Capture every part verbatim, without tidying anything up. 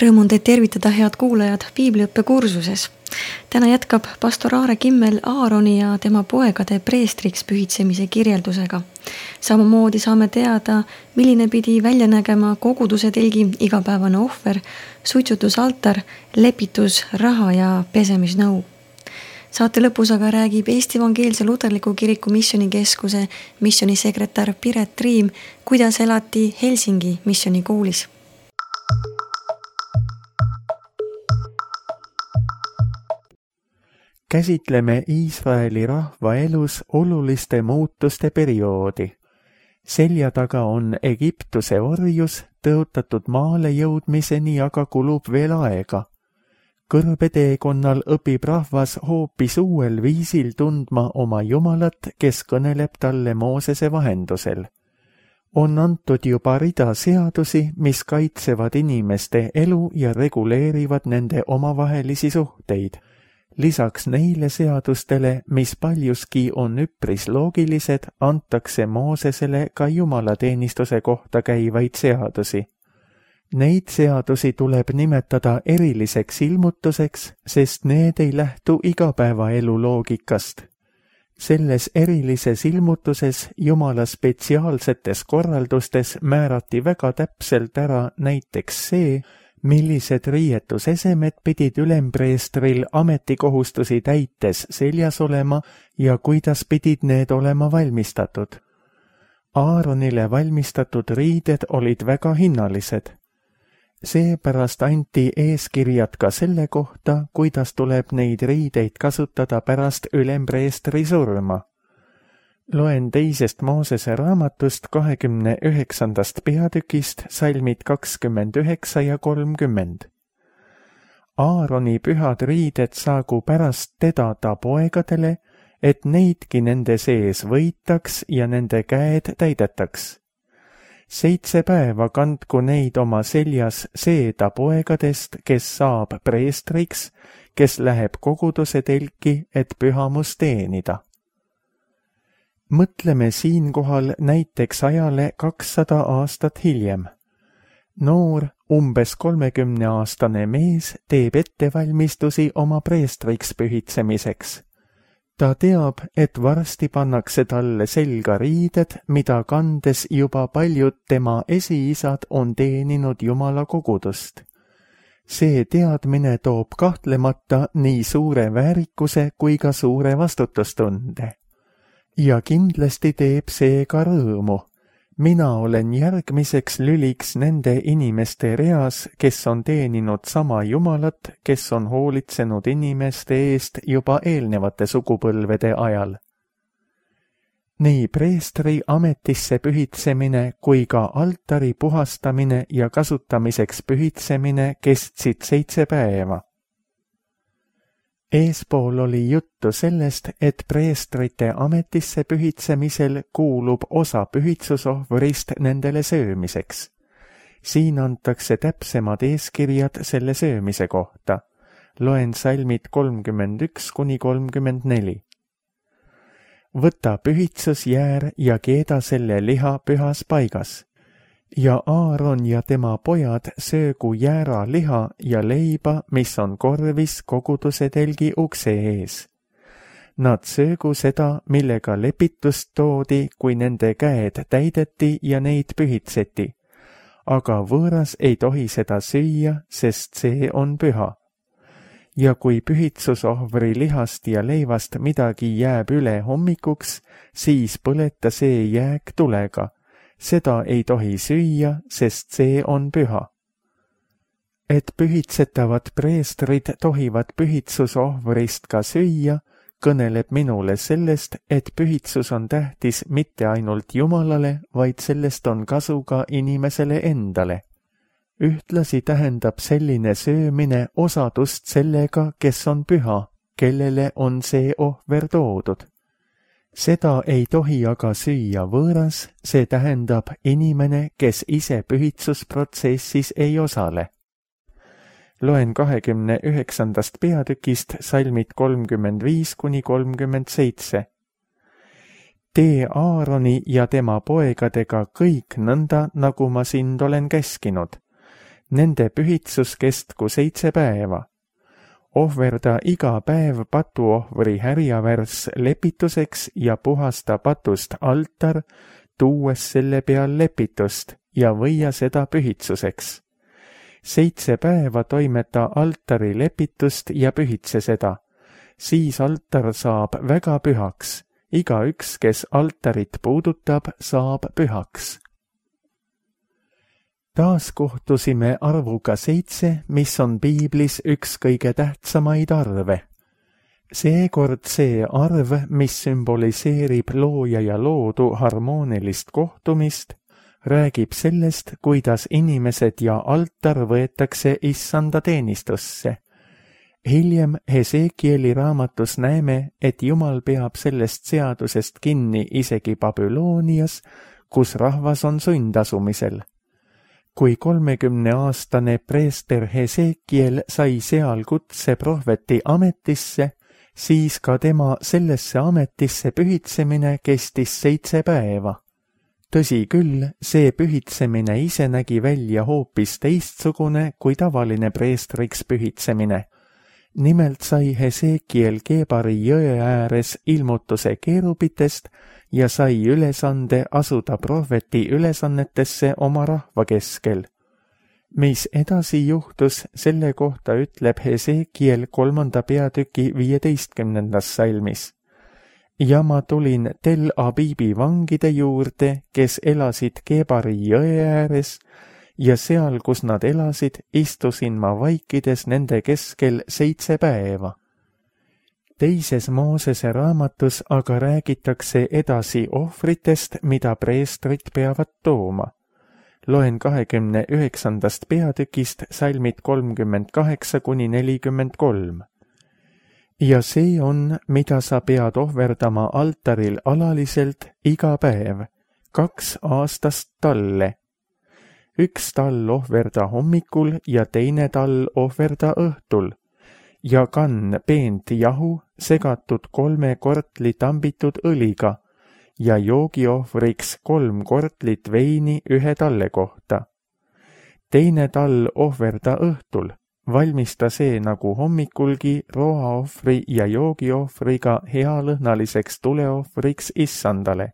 Rõõm on teid tervitada, head kuulajad, piibliõppe kursuses. Täna jätkab pastor Aare Kimmel Aaroni ja tema poegade preestriks pühitsemise kirjeldusega. Samamoodi saame teada, milline pidi välja nägema koguduse telgi igapäevane ohver, suitsutusaltar, lepitus, raha ja pesemisnõu. Saate lõpus aga räägib Eesti Evangeelse Luterliku Kiriku missionikeskuse missionisekretär Piret Triim, kuidas elati Helsingi missionikoolis. Käsitleme Iisraeli rahva elus oluliste muutuste perioodi. Selja taga on Egiptuse orjus, tõotatud maale jõudmiseni aga kulub veel aega. Kõrbeteekonnal õpib rahvas hoopis uuel viisil tundma oma Jumalat, kes kõneleb talle Moosese vahendusel. On antud juba rida seadusi, mis kaitsevad inimeste elu ja reguleerivad nende omavahelisi suhteid. Lisaks neile seadustele, mis paljuski on üpris loogilised, antakse Moosesele ka jumalateenistuse kohta käivaid seadusi. Neid seadusi tuleb nimetada eriliseks ilmutuseks, sest need ei lähtu igapäevaelu loogikast. Selles erilises ilmutuses Jumala spetsiaalsetes korraldustes määrati väga täpselt ära näiteks see, millised riietusesemed pidid ülempreestril ametikohustusi täites seljas olema ja kuidas pidid need olema valmistatud. Aaronile valmistatud riided olid väga hinnalised. Seepärast anti eeskirjad ka selle kohta, kuidas tuleb neid riideid kasutada pärast ülempreestri surma. Loen teisest Moosese raamatust kahekümne üheksandast peatükist salmid kakskümmend üheksa ja kolmkümmend. Aaroni pühad riided saagu pärast teda ta poegadele, et neidki nende sees võitaks ja nende käed täidetaks. Seitse päeva kandku neid oma seljas see ta poegadest, kes saab preestriks, kes läheb koguduse telki, et pühamus teenida. Mõtleme siinkohal näiteks ajale kakssada aastat hiljem. Noor, umbes kolmekümneaastane mees teeb ettevalmistusi oma preestriks pühitsemiseks. Ta teab, et varsti pannakse talle selga riided, mida kandes juba paljud tema esiisad on teeninud Jumala kogudust. See teadmine toob kahtlemata nii suure väärikuse kui ka suure vastutustunde. Ja kindlasti teeb see ka rõõmu. Mina olen järgmiseks lüliks nende inimeste reas, kes on teeninud sama Jumalat, kes on hoolitsenud inimeste eest juba eelnevate sugupõlvede ajal. Nii preestri ametisse pühitsemine kui ka altari puhastamine ja kasutamiseks pühitsemine kestsid seitse päeva. Eespool oli juttu sellest, et preestrite ametisse pühitsemisel kuulub osa pühitsusohvrist nendele söömiseks. Siin antakse täpsemad eeskirjad selle söömise kohta. Loen salmid kolmkümmend üks kuni kolmkümmend neli. Võta pühitsusjäär ja keeda selle liha pühas paigas. Ja Aaron ja tema pojad söögu jäära liha ja leiba, mis on korvis koguduse telgi ukse ees. Nad söögu seda, millega lepitust toodi, kui nende käed täideti ja neid pühitseti. Aga võõras ei tohi seda süüa, sest see on püha. Ja kui pühitsusohvri lihast ja leivast midagi jääb üle hommikuks, siis põleta see jääk tulega. Seda ei tohi süüa, sest see on püha. Et pühitsetavad preestrid tohivad pühitsusohvrist ka süüa, kõneleb minule sellest, et pühitsus on tähtis mitte ainult Jumalale, vaid sellest on kasu ka inimesele endale. Ühtlasi tähendab selline söömine osadust sellega, kes on püha, kellele on see ohver toodud. Seda ei tohi aga süüa võõras, see tähendab inimene, kes ise pühitsusprotsessis ei osale. Loen kahekümne üheksandast peatükist salmid kolmkümmend viis kuni kolmkümmend seitse. Tee Aaroni ja tema poegadega kõik nõnda, nagu ma sind olen käskinud. Nende pühitsus kestku seitse päeva. Ohverda iga päev patuohvri härjavärss lepituseks ja puhasta patust altar, tuues selle peal lepitust ja võia seda pühitsuseks. Seitse päeva toimeta altari lepitust ja pühitse seda. Siis altar saab väga pühaks. Igaüks, kes altarit puudutab, saab pühaks. Taas kohtusime arvuga seitse, mis on piiblis üks kõige tähtsamaid arve. Seekord see arv, mis sümboliseerib looja ja loodu harmoonilist kohtumist, räägib sellest, kuidas inimesed ja altar võetakse issanda teenistusse. Hiljem Hesekieli raamatus näeme, et Jumal peab sellest seadusest kinni isegi Babylonias, kus rahvas on sundasumisel. Kui kolmekümneaastane preester Hesekiel sai seal kutse prohveti ametisse, siis ka tema sellesse ametisse pühitsemine kestis seitse päeva. Tõsi küll, see pühitsemine ise nägi välja hoopis teistsugune kui tavaline preestriks pühitsemine. Nimelt sai Hesekiel Keebari jõe ääres ilmutuse keerubitest ja sai ülesande asuda prohveti ülesannetesse oma rahva keskel. Mis edasi juhtus, selle kohta ütleb Hesekiel kolmanda peatüki viieteistkümnendas salmis. Ja ma tulin Tel Abibi vangide juurde, kes elasid Keebari jõe ääres, ja seal, kus nad elasid, istusin ma vaikides nende keskel seitse päeva. Teises Moosese raamatus aga räägitakse edasi ohvritest, mida preestrid peavad tooma. Loen kahekümne üheksandast peatükist salmid kolmkümmend kaheksa kuni nelikümmend kolm. Ja see on, mida sa pead ohverdama altaril alaliselt iga päev, kaks aastast talle. Üks tall ohverda hommikul ja teine tall ohverda õhtul ja kann peent jahu segatud kolme kortli tambitud õliga ja joogiohvriks kolm kortlit veini ühe talle kohta. Teine tall ohverda õhtul, valmista see nagu hommikulgi roaohvri ja joogiohvriga healõhnaliseks tuleohvriks issandale.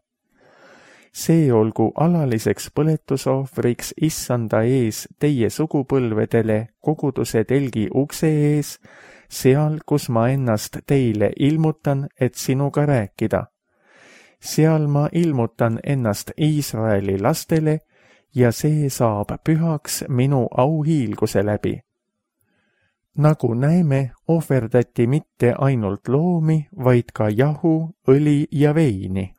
See olgu alaliseks põletusohvriks issanda ees teie sugupõlvedele koguduse telgi ukse ees, seal, kus ma ennast teile ilmutan, et sinuga rääkida. Seal ma ilmutan ennast Iisraeli lastele ja see saab pühaks minu auhiilguse läbi. Nagu näeme, ohverdati mitte ainult loomi, vaid ka jahu, õli ja veini.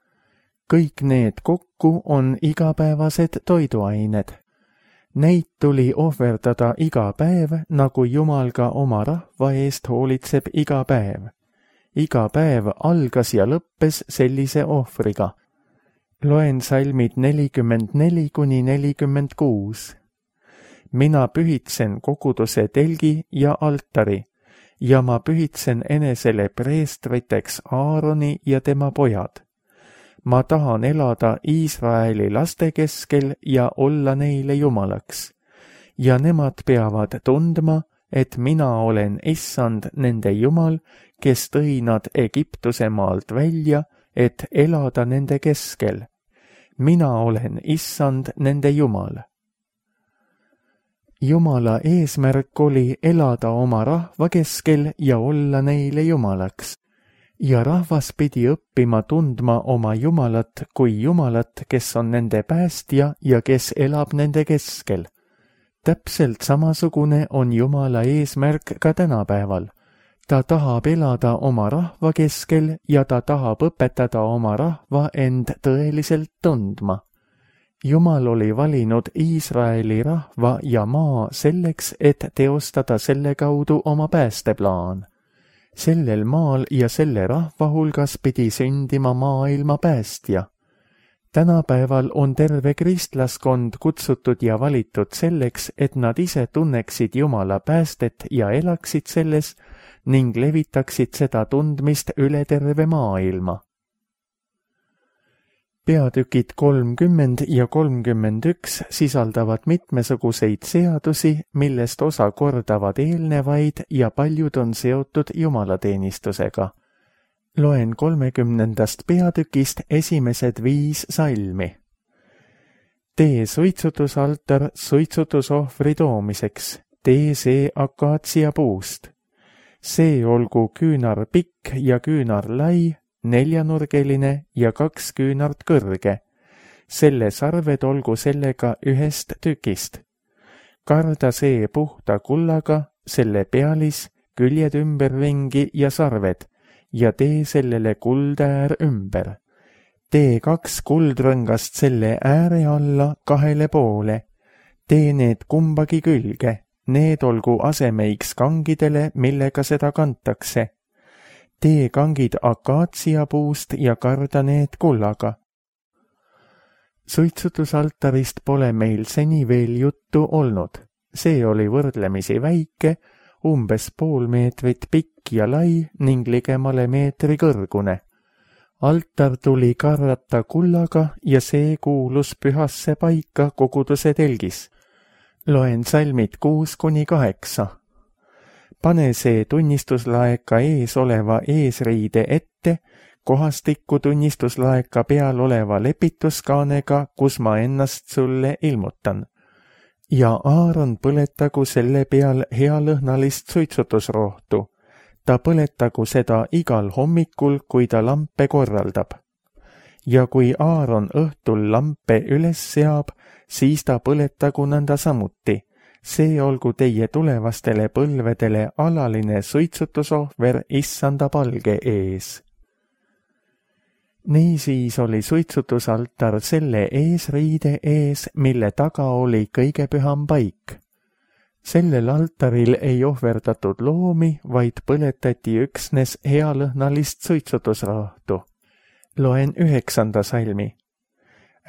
Kõik need kokku on igapäevased toiduained. Neid tuli ohverdada iga päev, nagu Jumal ka oma rahva eest hoolitseb iga päev. Iga päev algas ja lõppes sellise ohvriga. Loen salmid nelikümmend neli kuni nelikümmend kuus. Mina pühitsen koguduse telgi ja altari ja ma pühitsen enesele preestriteks Aaroni ja tema pojad. Ma tahan elada Iisraeli laste keskel ja olla neile jumalaks. Ja nemad peavad tundma, et mina olen issand nende jumal, kes tõi nad Egiptuse maalt välja, et elada nende keskel. Mina olen issand nende jumal. Jumala eesmärk oli elada oma rahva keskel ja olla neile jumalaks. Ja rahvas pidi õppima tundma oma Jumalat kui Jumalat, kes on nende päästja ja kes elab nende keskel. Täpselt samasugune on Jumala eesmärk ka tänapäeval. Ta tahab elada oma rahva keskel ja ta tahab õpetada oma rahva end tõeliselt tundma. Jumal oli valinud Iisraeli rahva ja maa selleks, et teostada selle kaudu oma päästeplaan. Sellel maal ja selle rahva hulgas pidi sündima maailma päästja. Tänapäeval on terve kristlaskond kutsutud ja valitud selleks, et nad ise tunneksid Jumala päästet ja elaksid selles ning levitaksid seda tundmist üle terve maailma. peatükid kolmkümmend ja kolmkümmend üks sisaldavad mitmesuguseid seadusi, millest osa kordavad eelnevaid ja paljud on seotud jumalateenistusega. Loen kolmekümnendast peatükist esimesed viis salmi. Tee suitsutusaltar suitsutusohvri toomiseks, tee see akaatsia puust. See olgu küünar pikk ja küünar lai, neljanurgeline ja kaks küünart kõrge. Selle sarved olgu sellega ühest tükist. Karda see puhta kullaga, selle pealis, küljed ümberringi ja sarved ja tee sellele kuldäär ümber. Tee kaks kuldrõngast selle ääre alla kahele poole. Tee need kumbagi külge, need olgu asemeiks kangidele, millega seda kantakse. Tee kangid akaatsia puust ja karda need kullaga. Suitsutusaltarist pole meil seni veel juttu olnud. See oli võrdlemisi väike, umbes pool meetrit pikk ja lai ning ligemale meetri kõrgune. Altar tuli karrata kullaga ja see kuulus pühasse paika koguduse telgis. Loen salmid kuus kuni kaheksa. Pane see tunnistuslaeka ees oleva eesriide ette, kohastikku tunnistuslaeka peal oleva lepituskaanega, kus ma ennast sulle ilmutan. Ja Aaron põletagu selle peal healõhnalist suitsutusrohtu. Ta põletagu seda igal hommikul, kui ta lampe korraldab. Ja kui Aaron õhtul lampe üles seab, siis ta põletagu nõnda samuti. See olgu teie tulevastele põlvedele alaline suitsutusohver issanda palge ees. Niisiis oli suitsutusaltar selle eesriide ees, mille taga oli kõige püham paik. Sellel altaril ei ohverdatud loomi, vaid põletati üksnes healõhnalist suitsutusrohtu. Loen üheksanda salmi.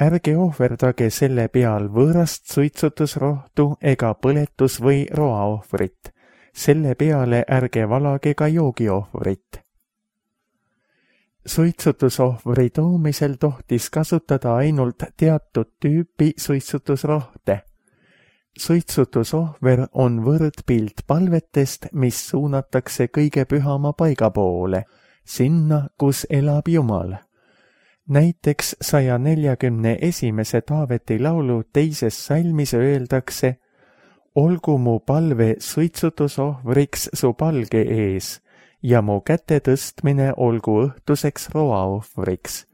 Ärge ohverdage selle peal võõrast suitsutusrohtu ega põletus- või roaohvrit. Selle peale ärge valage ka joogiohvrit. Suitsutusohvri toomisel tohtis kasutada ainult teatud tüüpi suitsutusrohte. Suitsutusohver on võrdpilt palvetest, mis suunatakse kõige pühama paiga poole, sinna, kus elab Jumal. Näiteks saja neljakümne esimese Taaveti laulu teises salmis öeldakse: olgu mu palve suitsutusohvriks su palge ees ja mu käte tõstmine olgu õhtuseks roaohvriks.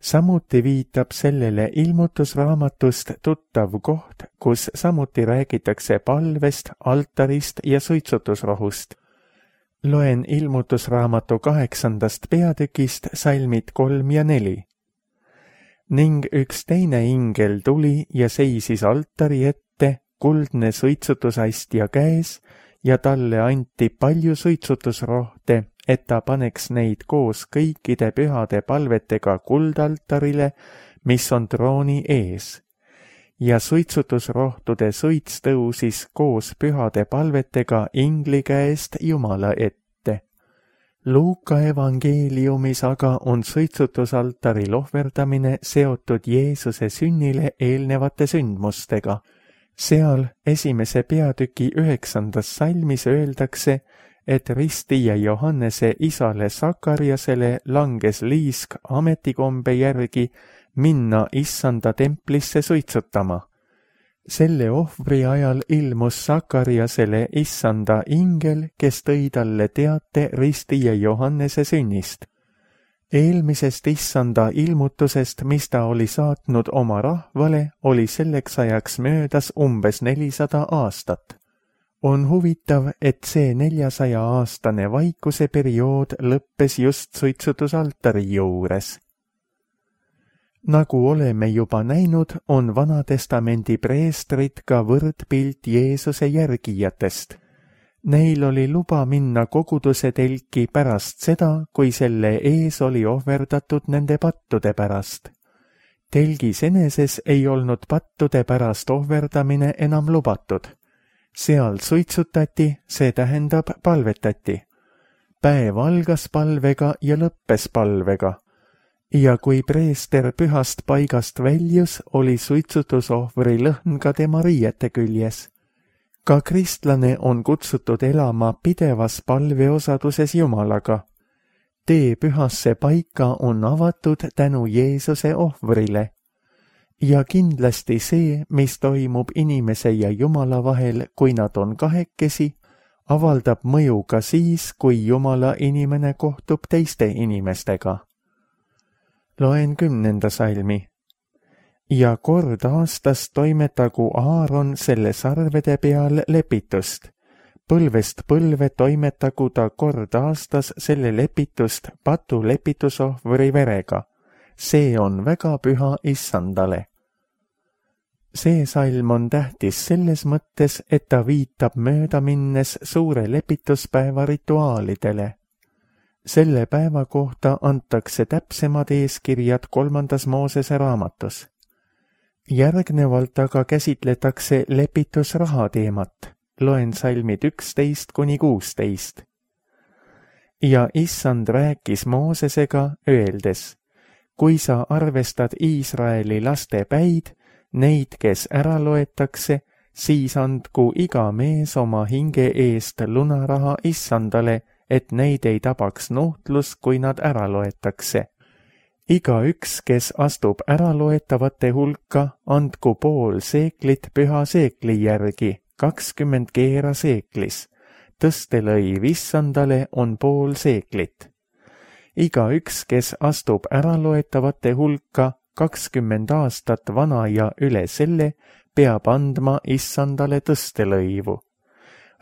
Samuti viitab sellele ilmutusraamatust tuttav koht, kus samuti räägitakse palvest, altarist ja suitsutusrohust. Loen ilmutusraamatu kaheksandast peatükist salmid kolm ja neli. Ning üks teine ingel tuli ja seisis altari ette, kuldne suitsutusastja käes, ja talle anti palju suitsutusrohte, et ta paneks neid koos kõikide pühade palvetega kuldaltarile, mis on trooni ees. Ja suitsutusrohtude suits tõusis koos pühade palvetega ingli käest Jumala ette. Luuka evangeeliumis aga on suitsutusaltaril ohverdamine seotud Jeesuse sünnile eelnevate sündmustega. Seal esimese peatüki üheksandas salmis öeldakse, et ristija Johannese isale Sakariasele langes liisk ametikombe järgi minna issanda templisse suitsutama. Selle ohvri ajal ilmus Sakariasele issanda ingel, kes tõi talle teate ristija Johannese sünnist. Eelmisest issanda ilmutusest, mis ta oli saatnud oma rahvale, oli selleks ajaks möödas umbes nelisada aastat. On huvitav, et see neljasaja aastane vaikuse periood lõppes just suitsutusaltari juures. Nagu oleme juba näinud, on Vanatestamendi preestrid ka võrdpilt Jeesuse järgijatest. Neil oli luba minna koguduse telki pärast seda, kui selle ees oli ohverdatud nende pattude pärast. Telgis eneses ei olnud pattude pärast ohverdamine enam lubatud. Seal suitsutati, see tähendab palvetati. Päev algas palvega ja lõppes palvega. ja kui preester pühast paigast väljus, oli suitsutusohvri lõhn ka tema riiete küljes. Ka kristlane on kutsutud elama pidevas palveosaduses Jumalaga. Tee pühasse paika on avatud tänu Jeesuse ohvrile. Ja kindlasti see, mis toimub inimese ja Jumala vahel, kui nad on kahekesi, avaldab mõju ka siis, kui Jumala inimene kohtub teiste inimestega. Loen kümnenda salmi. Ja kord aastas toimetagu Aaron selle sarvede peal lepitust. Põlvest põlve toimetagu ta kord aastas selle lepitust patu lepitusohvri verega. See on väga püha Issandale. See salm on tähtis selles mõttes, et ta viitab mööda minnes suure lepituspäeva rituaalidele. Selle päeva kohta antakse täpsemad eeskirjad kolmandas Moosese raamatus. Järgnevalt aga käsitletakse lepitusraha teemat. Loen salmid üksteist kuni kuusteist. Ja Issand rääkis Moosesega, öeldes, kui sa arvestad Iisraeli laste päid, neid, kes ära loetakse, siis andku iga mees oma hinge eest lunaraha Issandale, et neid ei tabaks nuhtlus, kui nad ära loetakse. Iga üks, kes astub äraloetavate hulka, andku pool seeklit püha seekli järgi, kakskümmend keera seeklis. Tõstelõiv Issandale on pool seeklit. Iga üks, kes astub äraloetavate hulka, kakskümmend aastat vana ja üle selle, peab andma Issandale tõstelõivu.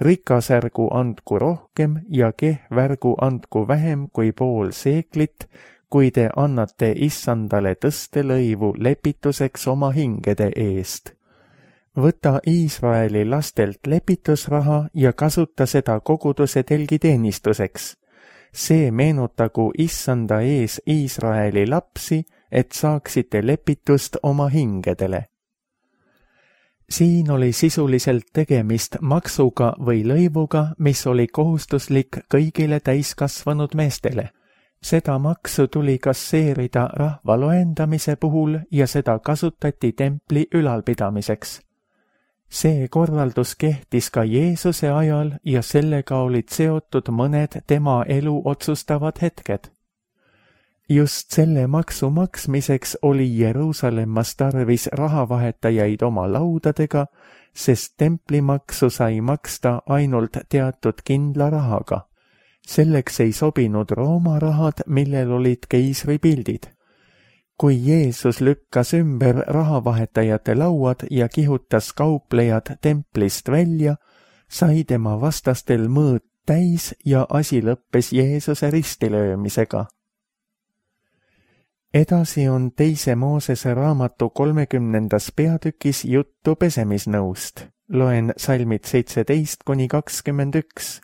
Rikasärgu andku rohkem ja kehvärgu andku vähem kui pool seeklit, kui te annate Issandale tõstelõivu lepituseks oma hingede eest. Võta Iisraeli lastelt lepitusraha ja kasuta seda koguduse telgiteenistuseks. See meenutagu Issanda ees Iisraeli lapsi, et saaksite lepitust oma hingedele. Siin oli sisuliselt tegemist maksuga või lõivuga, mis oli kohustuslik kõigile täiskasvanud meestele. Seda maksu tuli kasseerida rahva loendamise puhul ja seda kasutati templi ülalpidamiseks. See korraldus kehtis ka Jeesuse ajal ja sellega olid seotud mõned tema elu otsustavad hetked. Just selle maksu maksmiseks oli Jeruusalemmas tarvis rahavahetajaid oma laudadega, sest templimaksu sai maksta ainult teatud kindla rahaga. Selleks ei sobinud Rooma rahad, millel olid keisri pildid. Kui Jeesus lükkas ümber rahavahetajate lauad ja kihutas kauplejad templist välja, sai tema vastastel mõõt täis ja asi lõppes Jeesuse ristilöömisega. Edasi on teise Moosese raamatu kolmekümnendas peatükis juttu pesemisnõust. Loen salmid seitseteist kuni kakskümmend üks.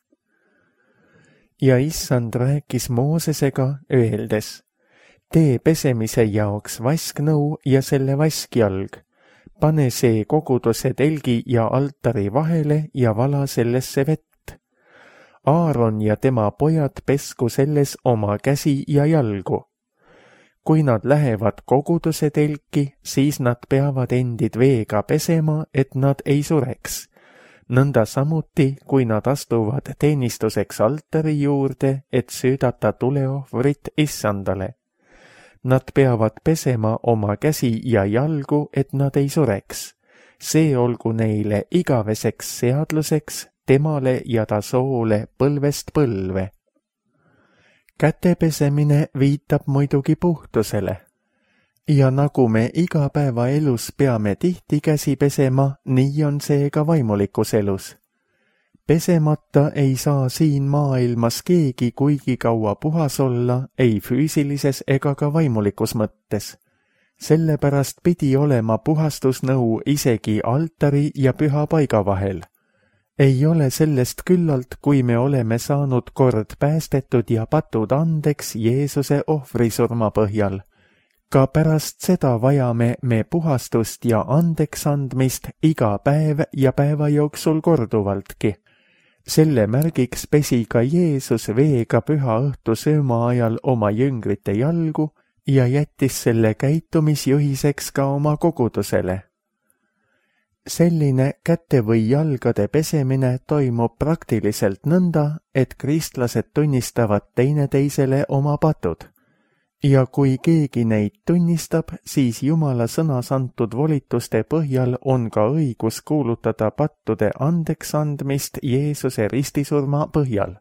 Ja Issand rääkis Moosesega, öeldes, tee pesemise jaoks vasknõu ja selle vaskjalg. Pane see koguduse telgi ja altari vahele ja vala sellesse vett. Aaron ja tema pojad pesku selles oma käsi ja jalgu. Kui nad lähevad koguduse telki, siis nad peavad endid veega pesema, et nad ei sureks. Nõnda samuti, kui nad astuvad teenistuseks altari juurde, et süüdata tuleohvrit Issandale. Nad peavad pesema oma käsi ja jalgu, et nad ei sureks. See olgu neile igaveseks seadluseks, temale ja ta soole põlvest põlve. Kätepesemine viitab muidugi puhtusele. Ja nagu me igapäevaelus peame tihti käsi pesema, nii on see ka vaimulikus elus. Pesemata ei saa siin maailmas keegi kuigi kaua puhas olla, ei füüsilises ega ka vaimulikus mõttes. Sellepärast pidi olema puhastusnõu isegi altari ja püha paiga vahel. Ei ole sellest küllalt, kui me oleme saanud kord päästetud ja patud andeks Jeesuse ohvrisurma põhjal. Ka pärast seda vajame me puhastust ja andeks andmist iga päev ja päeva jooksul korduvaltki. Selle märgiks pesi ka Jeesus veega püha õhtu sööma ajal oma jüngrite jalgu ja jättis selle käitumisjuhiseks ka oma kogudusele. Selline käte või jalgade pesemine toimub praktiliselt nõnda, et kristlased tunnistavad teineteisele oma patud. Ja kui keegi neid tunnistab, siis Jumala sõnas antud volituste põhjal on ka õigus kuulutada pattude andeks andmist Jeesuse ristisurma põhjal.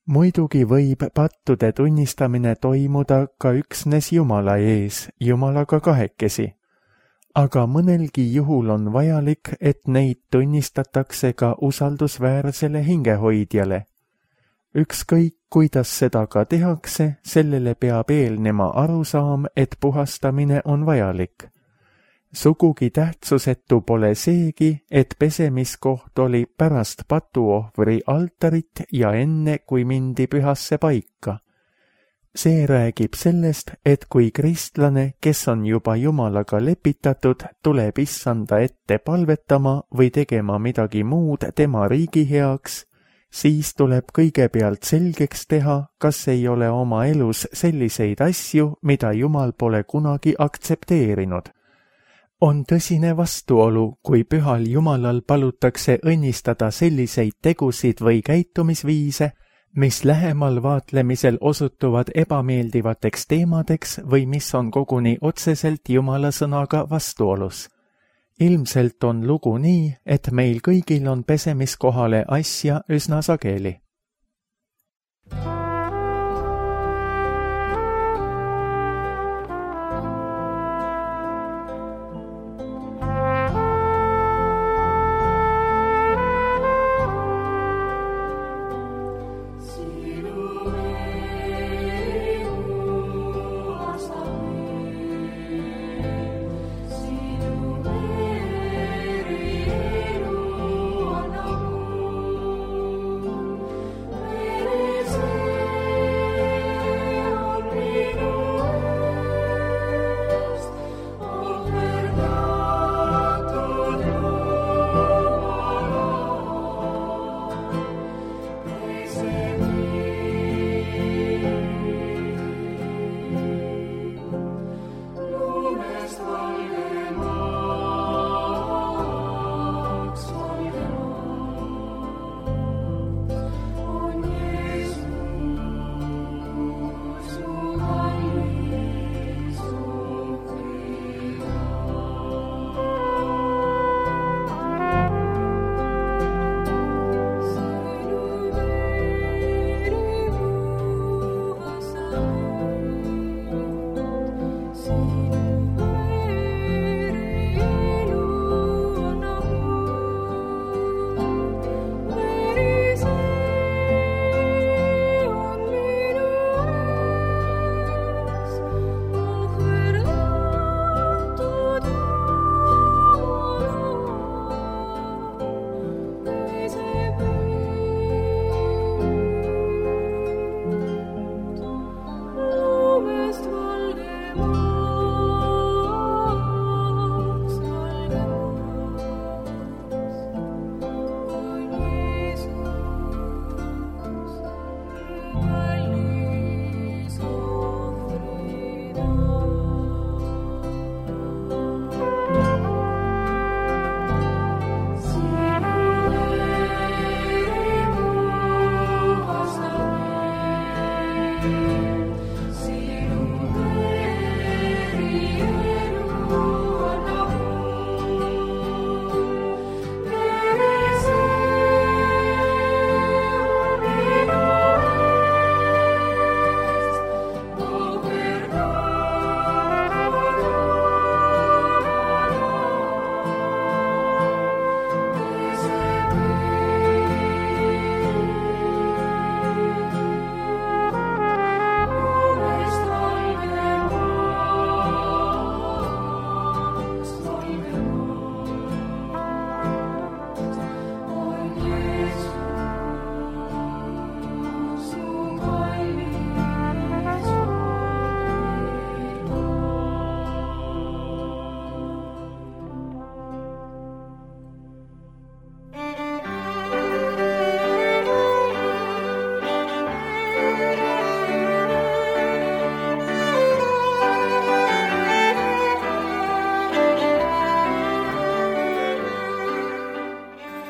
Muidugi võib pattude tunnistamine toimuda ka üksnes Jumala ees, Jumalaga kahekesi. Aga mõnelgi juhul on vajalik, et neid tunnistatakse ka usaldusväärsele hingehoidjale. Ükskõik, kuidas seda ka tehakse, sellele peab eelnema arusaam, et puhastamine on vajalik. Sugugi tähtsusetu pole seegi, et pesemiskoht oli pärast patuohvri altarit ja enne, kui mindi pühasse paika. See räägib sellest, et kui kristlane, kes on juba Jumalaga lepitatud, tuleb issanda ette palvetama või tegema midagi muud tema riigi heaks, siis tuleb kõigepealt selgeks teha, kas ei ole oma elus selliseid asju, mida Jumal pole kunagi aktsepteerinud. On tõsine vastuolu, kui pühal Jumalal palutakse õnnistada selliseid tegusid või käitumisviise, mis lähemal vaatlemisel osutuvad ebameeldivateks teemadeks või mis on koguni otseselt Jumala sõnaga vastuolus. Ilmselt on lugu nii, et meil kõigil on pesemiskohale asja üsna sageli.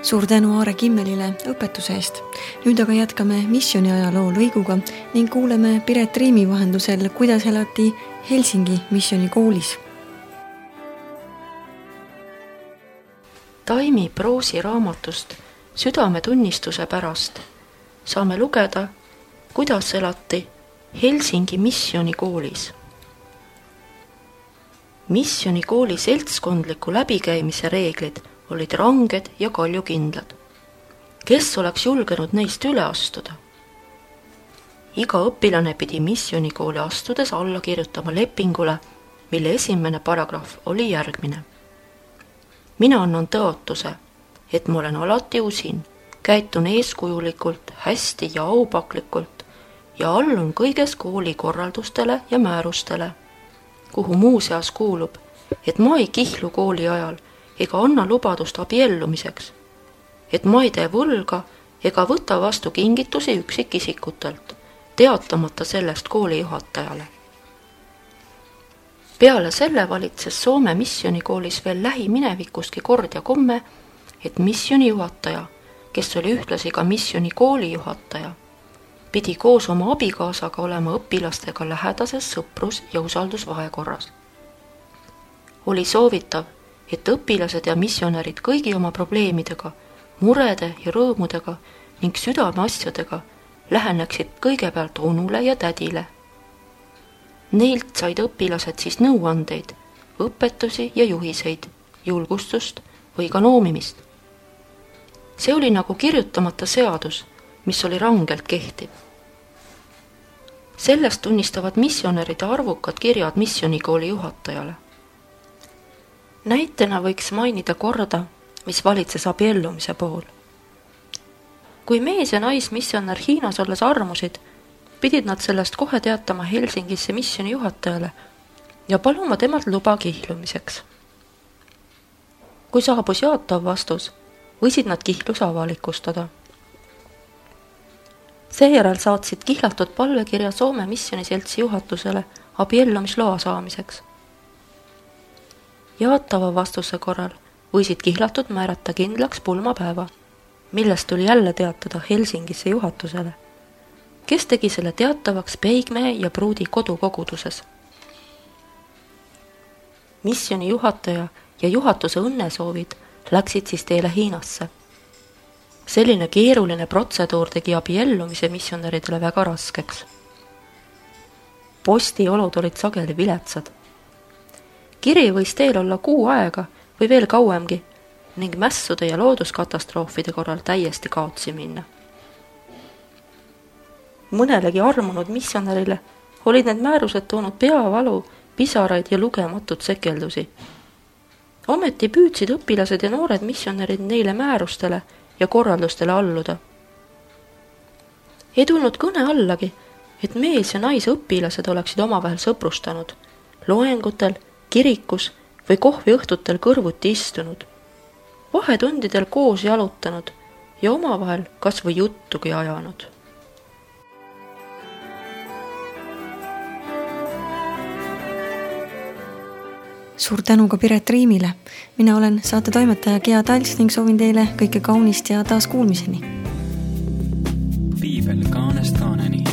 suur tänu Aare Kimmelile õpetuse eest. Nüüd aga jätkame missiooni ajaloo lõiguga ning kuuleme Piret Riimi vahendusel, kuidas elati Helsingi missioonikoolis. Taimi Proosi raamatust Südametunnistuse pärast saame lugeda, kuidas elati Helsingi missioonikoolis. Missioonikooli seltskondliku läbikäimise reeglid olid ranged ja kaljukindlad. Kes oleks julgenud neist üle astuda? Iga õpilane pidi missioonikooli astudes alla kirjutama lepingule, mille esimene paragrahv oli järgmine. Mina annan tõotuse, et ma olen alati usin, käitun eeskujulikult, hästi ja aupaklikult ja allun kõiges kooli korraldustele ja määrustele, kuhu muuseas kuulub, et ma ei kihlu kooli ajal ega anna lubadust abiellumiseks, et ma ei tee võlga ega võta vastu kingitusi üksikisikutelt, teatamata sellest kooli juhatajale. Peale selle valitses Soome missionikoolis veel lähiminevikustki kord ja komme, et missioni juhataja, kes oli ühtlasi ka missionikooli juhataja, pidi koos oma abikaasaga olema õpilastega lähedases sõprus- ja usaldusvahekorras. Oli soovitav, et õpilased ja missionärid kõigi oma probleemidega, murede ja rõõmudega ning südameasjadega läheneksid kõigepealt onule ja tädile. Neilt said õpilased siis nõuandeid, õpetusi ja juhiseid, julgustust või ka noomimist. See oli nagu kirjutamata seadus, mis oli rangelt kehtiv. Sellest tunnistavad missionäride arvukad kirjad missionikooli juhatajale. Näitena võiks mainida korda, mis valitses abiellumise puhul. Kui mees ja naismissionär Hiinas olles armusid, pidid nad sellest kohe teatama Helsingisse missioni juhatajale ja paluma temalt luba kihlumiseks. Kui saabus jaatav vastus, võisid nad kihlus avalikustada. Seejärel saatsid kihlatud palvekirja Soome missioniseltsi juhatusele abiellumisloa saamiseks. Jaatava vastuse korral võisid kihlatud määrata kindlaks pulmapäeva, millest tuli jälle teatada Helsingisse juhatusele, kes tegi selle teatavaks peigmehe ja pruudi kodukoguduses. Missioni juhataja ja juhatuse õnnesoovid läksid siis teele Hiinasse. Selline keeruline protseduur tegi abiellumise missionäridele väga raskeks. Postiolud olid sageli viletsad. Kiri võis teel olla kuu aega või veel kauemgi ning mässude ja looduskatastroofide korral täiesti kaotsi minna. Mõnelegi armunud missionärile olid need määrused toonud peavalu, pisaraid ja lugematut sekeldusi. Ometi püüdsid õpilased ja noored missionärid neile määrustele ja korraldustele alluda. Ei tulnud kõne allagi, et mees ja naisõpilased oleksid omavahel sõprustanud, loengutel, kirikus või kohviõhtutel kõrvuti istunud, vahetundidel koos jalutanud ja omavahel kas või juttugi ajanud. Suur tänu ka Piret Riimile. Mina olen saate toimetaja Gea Tals ning soovin teile kõike kaunist ja taas kuulmiseni. Piibel kaanest kaaneni.